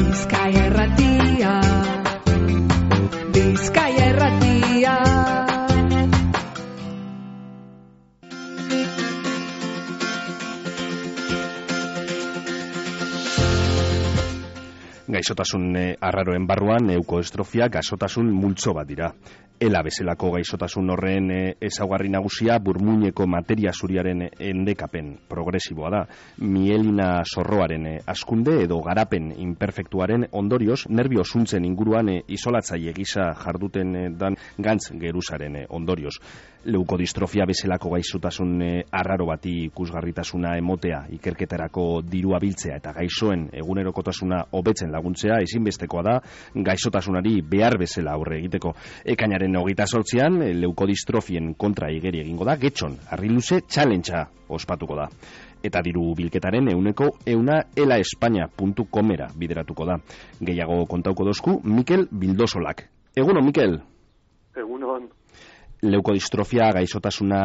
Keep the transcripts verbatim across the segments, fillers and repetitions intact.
Bizkaia Irratia, Bizkaia Irratia. Gaixotasun arraroen barruan eukoestrofia gaixotasun multzo bat dira. Ela bezalako gaixotasun horren ezaugarri nagusia burmuineko materia zuriaren endekapen progresiboa da. Mielina zorroaren hazkunde edo garapen imperfektuaren ondorioz, nerbio zuntzen inguruan isolatzaile gisa jarduten dan gantz geruzaren ondorioz. Leukodistrofia bezalako gaixotasun arraro bati ikusgarritasuna emotea, ikerketarako dirua biltzea eta gaixoen egunerokotasuna hobetzen laguntzea ezinbestekoa da gaixotasunari behar bezala aurre egiteko. Ekainaren hogeita zortzian leukodistrofien kontra igeri egingo da, Getxon Harriluze Challengea ospatuko da. Eta diru bilketaren euneko euna elaespaina puntu comera bideratuko da. Gehiago kontauko dozku Mikel Bildosolak. Egunon, Mikel? Egunon. Leukodistrofia gaixotasuna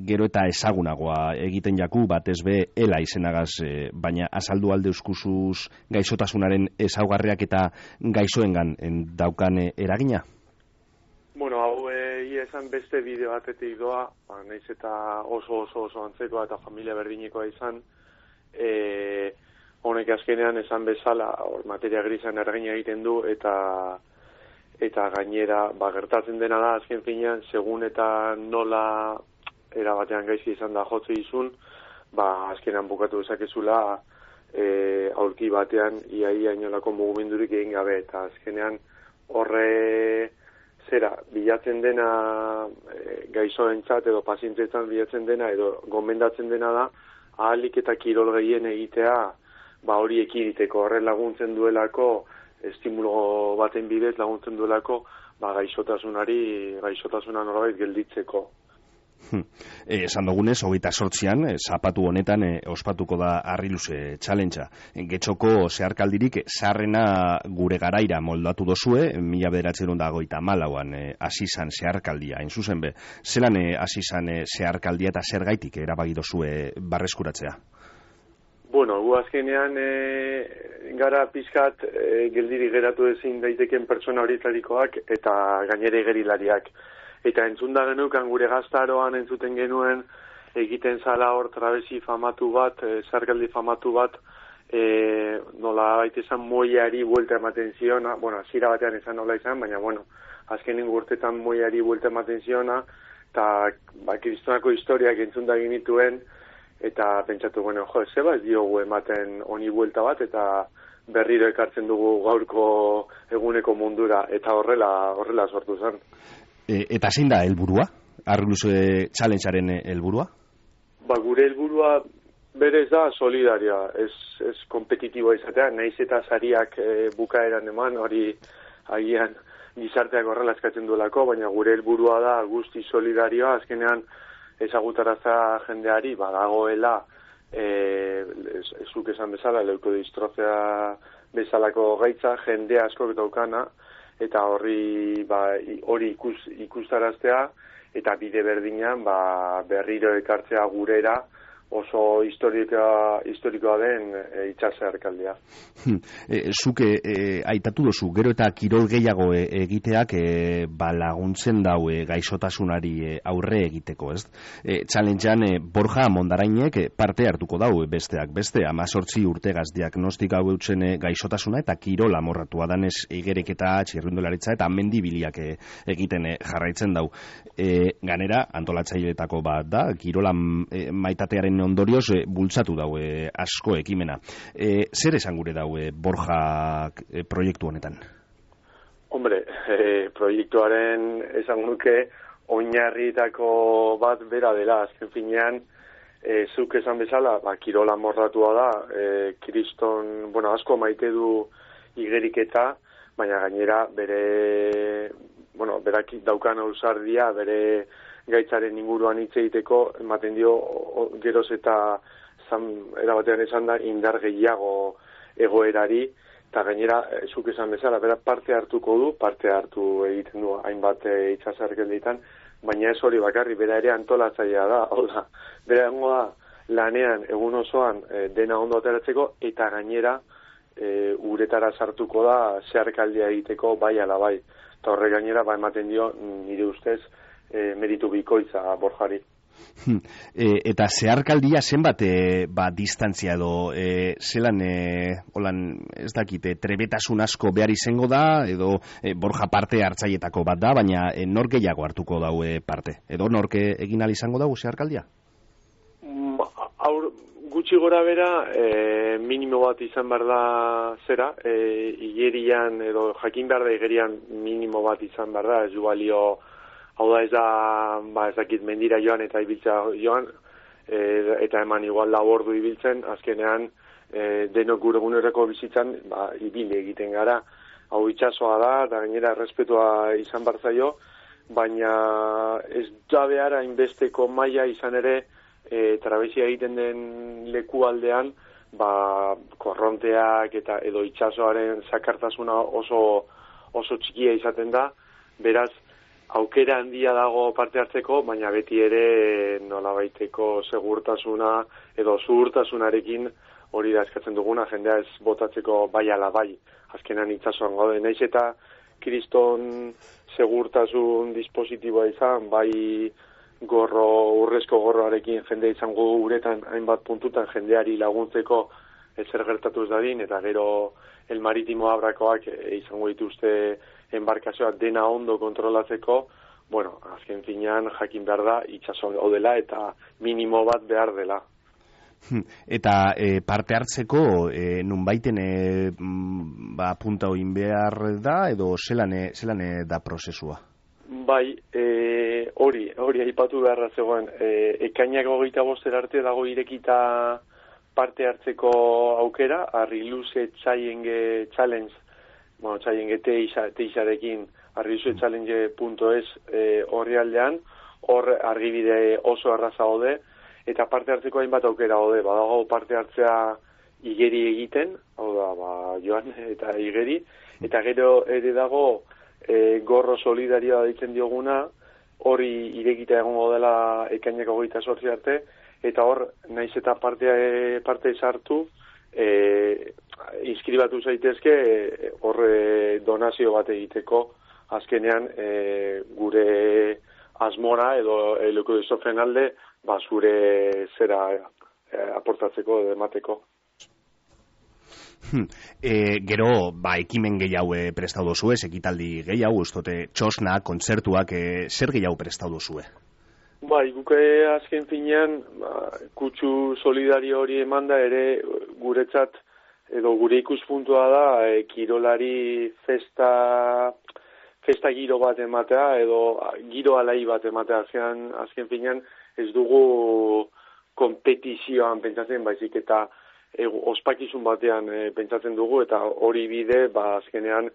gero eta ezagunagoa egiten jaku, batez be ela izenagaz, e, baina azaldu alde euskuzuz gaixotasunaren ezaugarriak eta gaixoengan daukan eragina? Bueno, hau egia esan beste bideo batetik doa, ba, nahiz eta oso oso oso antzekoa eta familia berdinekoa izan, e, honek azkenean esan bezala or, materia grisan eragina egiten du eta eta gainera ba, gertatzen dena da azken finean segun eta nola erabatean gaizki izan da jotze izun, ba, azkenean bukatu dezakezula e, aurki batean iaia inolako mugimendurik egin gabe eta azkenean horre zera, bilatzen dena e, gaixoentzat edo pazienteetan bilatzen dena edo gomendatzen dena da ahalik eta kirol gehien egitea ba hori ekiditeko, horren laguntzen duelako estimulo baten bidez laguntzen duelako ba gaixotasunari gaixotasuna norbait gelditzeko. Hmm. E, esan dugunez, hogeita sortzian, e, zapatu honetan e, ospatuko da Harriluze Challengea. Getxoko zeharkaldirik zaharrena gure garaira moldatu dozue, mila bederatzerun da goita malauan hasi e, zan zeharkaldia, hain zuzen be. Zelan hasi e, zan e, zeharkaldia eta zer gaitik erabaki dozue barreskuratzea? Bueno, gu azkenean e, gara pizkat e, geldiri geratu ezin daiteken pertsona horietarikoak eta gainere gerilariak. Eta entzunda genukan gure gaztaroan entzuten genuen egiten zala hor trabesi famatu bat, e, zergaldi famatu bat, e, nola baita esan moiari buelta ematen ziona, bueno, zira batean esan nola izan, baina bueno, azkenen urtetan moiari buelta ematen ziona, eta ba, kristonako historiak entzunda genituen, eta pentsatu, bueno, jo, zeba ez diogu ematen honi buelta bat, eta berriro ekartzen dugu gaurko eguneko mundura, eta horrela horrela sortu zen. E, eta zein da helburua? Harriluze Challengearen helburua? Ba, gure helburua berez da solidaria, ez, ez kompetitiboa izatea, nahiz eta sariak e, bukaeran eman, hori agian gizarteak horrela eskatzen duelako, baina gure helburua da guzti solidarioa, azkenean ezagutarazta jendeari badagoela e, zuk esan bezala leukodistrofia bezalako gaitza jende askok daukana eta horri ba, hori ikus, ikustaraztea eta bide berdinean ba, berriro ekartzea gurera oso historikoa, historikoa den e, itxaserkaldia. E, Zuk e, e, aitatu dozu, gero eta kirol gehiago e, egiteak e, ba, laguntzen dau e, gaixotasunari e, aurre egiteko, ez? E, Challengean e, Borja Mondarainek e, parte hartuko dau e, besteak beste, amazortzi urtegaz diagnostika hau eutzen e, gaixotasuna eta kirol amorratua danez igereketa, txirrindularitza eta mendibiliak e, egiten e, jarraitzen dau. E, ganera, antolatzaileetako bat da, kirolan e, maitatearen ondorioz e, bultzatu dau e, asko ekimena. E, zer esan gure dau e, Borja e, proiektu honetan? Hombre, e, proiektuaren esan nuke oinarrietako bat bera dela, azken finean e, zuk esan bezala, ba, kirola morratua da, e, kriston, bueno, asko maite du igeriketa, baina gainera bere, bueno, berak daukan ausardia, bere gaitzaren inguruan hitz egiteko ematen dio o, geroz eta zan, erabatean esan da indar gehiago egoerari eta gainera zuk esan bezala bera parte hartuko du, parte hartu egiten du hainbat e, itxasarkelditan, baina ez hori bakarri, bera ere antolatzailea da, hola, bera egongo da lanean egun osoan e, dena ondo ateratzeko eta gainera e, uretara sartuko da zeharkaldia egiteko bai ala bai. Eta horre gainera ba ematen dio nire ustez e, meritu bikoitza Borjari. E, eta zeharkaldia zenbat e, ba, distantzia edo e, zelan e, holan, ez dakite, trebetasun asko behar izango da edo e, Borja parte hartzaietako bat da, baina e, nor gehiago hartuko dau e, parte edo nork egin ahal izango dago zeharkaldia? Aur, gutxi gora bera e, minimo bat izan behar da zera e, igerian edo jakin behar da igerian minimo bat izan behar da, ez du balio. Hau da ez da, ba, ez dakit mendira joan eta ibiltza joan, e, eta eman igual labordu ibiltzen, azkenean e, denok gure gunereko bizitzan, ba, ibili egiten gara. Hau itxasoa da, eta gainera errespetua izan barzaio, baina ez da behar hainbesteko maila izan ere, e, trabezia egiten den leku aldean, ba, korronteak eta edo itxasoaren zakartasuna oso, oso txikia izaten da, beraz, aukera handia dago parte hartzeko, baina beti ere nolabaiteko segurtasuna edo zuhurtasunarekin hori da eskatzen duguna, jendea ez botatzeko bai ala bai. Azkenan itsasoan gaude, naiz eta kriston segurtasun dispositiboa izan, bai gorro, urrezko gorroarekin jende izango uretan hainbat puntutan jendeari laguntzeko ezer gertatu ez dadin, eta gero el maritimo abrakoak e, izango dituzte enbarkazioak dena ondo kontrolatzeko, bueno, azken finean jakin behar da itxaso odela eta minimo bat behar dela. Eta e, parte hartzeko e, nunbaiten e, ba, punta oin behar da edo zelan, e, zelan e, da prozesua? Bai, e, hori, hori aipatu beharra zegoen, e, ekainak hogeita boster arte dago irekita parte hartzeko aukera, Arriluse Challenge Challenge, bueno, Challenge teixarekin arriluse challenge punto es e, horri aldean, hor argibide oso arraza hode, eta parte hartzeko hainbat aukera hode, badago parte hartzea igeri egiten, hau da, ba, joan eta igeri, eta gero ere dago e, gorro solidarioa ditzen dioguna, hori irekita egongo dela ekainak hogeita zortzi arte, eta hor, naiz eta parte, parte sartu, e, inskribatu zaitezke hor e, donazio bat egiteko, azkenean e, gure asmora edo eleko dizofen alde, ba, zure zera e, aportatzeko edo emateko. E, gero, ba, ekimen gehiago e, prestatu duzue, ekitaldi gehiago, ustote, txosna, kontzertuak, e, zer gehiago prestatu duzue? Bai, guke azken finean, ba, kutsu solidario hori emanda ere guretzat, edo gure ikuspuntua da, e, kirolari festa, festa giro bat ematea, edo giro alai bat ematea, azken, azken finean ez dugu kompetizioan pentsatzen, baizik eta e, ospakizun batean e, pentsatzen dugu, eta hori bide, ba, azkenean,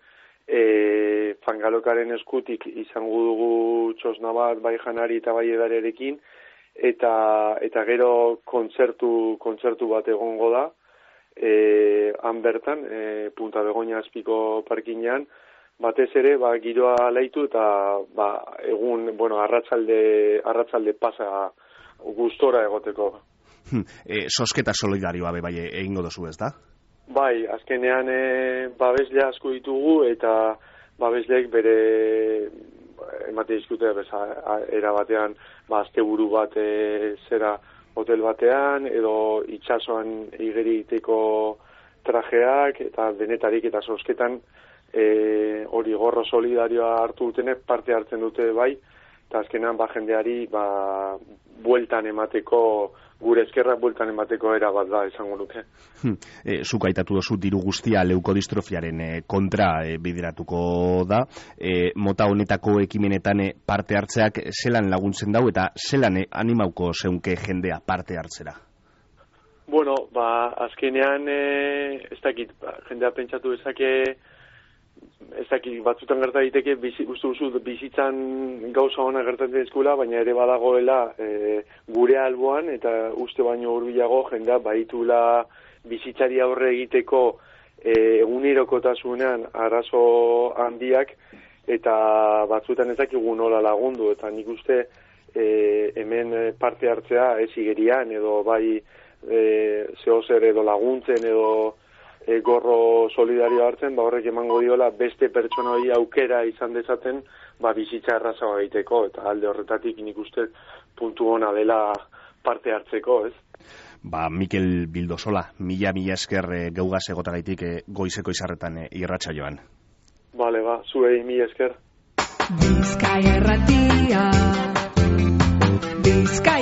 E, fangalokaren eskutik izango dugu txosna bat bai janari eta bai edarerekin, eta, eta gero kontzertu, kontzertu bat egongo da, e, han bertan, e, Punta Begoña azpiko parkinean, batez ere, ba, giroa laitu eta ba, egun, bueno, arratsalde, arratsalde pasa gustora egoteko. E, sosketa solidarioa be bai egingo dozu, ez da? Bai, azkenean e, babesle asko ditugu eta babesleek bere emate dizkute beza, era batean ba, asteburu bat e, zera hotel batean edo itsasoan igeri egiteko trajeak eta denetarik eta sosketan e, hori gorro solidarioa hartu dutenek parte hartzen dute bai, eta azkenean ba, jendeari ba, bueltan emateko gure eskerrak bueltan emateko era bat da, esango nuke. E, zuk aitatu dozu diru guztia leukodistrofiaren e, kontra e, bideratuko da. E, mota honetako ekimenetan e, parte hartzeak zelan laguntzen dau eta zelan e, animauko zeunke jendea parte hartzera? Bueno, ba, azkenean e, ez dakit, ba, jendea pentsatu ezake ez dakit, batzutan gerta diteke bizi, uste duzu bizitzan gauza ona gertatzen eskula, baina ere badagoela e, gure alboan eta uste baino hurbilago jendea baitula bizitzari aurre egiteko e, egunerokotasunean arazo handiak eta batzutan ez dakigu nola lagundu, eta nik uste e, hemen parte hartzea ez igerian edo bai e, zehozer edo laguntzen edo e, gorro solidario hartzen, ba horrek emango diola beste pertsona hori aukera izan dezaten, ba bizitza errazagoa egiteko, eta alde horretatik nik uste puntu ona dela parte hartzeko, ez? Ba, Mikel Bildosola, mila mila esker e, geugaz egotagaitik e, goizeko izarretan e, irratsaioan. Bale, ba, zuei mila esker. Bizkaia Irratia. Bizkaia